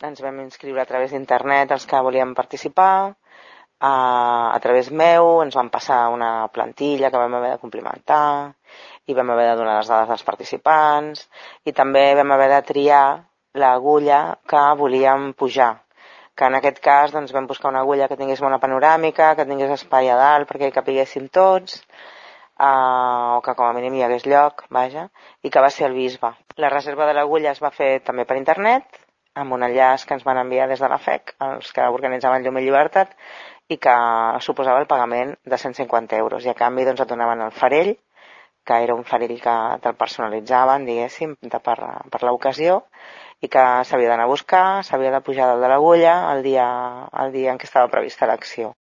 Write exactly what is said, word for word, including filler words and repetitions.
ens vam inscriure a través d'internet els que volíem participar. A través meu ens van passar una plantilla que vam haver de complimentar i vam haver de donar les dades dels participants i també vam haver de triar l'agulla que volíem pujar, que en aquest cas doncs, vam buscar una agulla que tingués bona panoràmica, que tingués espai a dalt perquè hi capiguéssim tots, uh, o que com a mínim hi hagués lloc, vaja, i que va ser el Bisbe. La reserva de l'agulla es va fer també per internet, amb un enllaç que ens van enviar des de la F E C, els que organitzaven Llum i Llibertat, i que suposava el pagament de cent cinquanta euros. I a canvi doncs, et donaven el farell, que era un farell que te'l personalitzaven, diguéssim, de per, per l'ocasió, i que s'havia d'anar a buscar, s'havia de pujar dalt de l'agulla el dia, el dia en què estava prevista l'acció.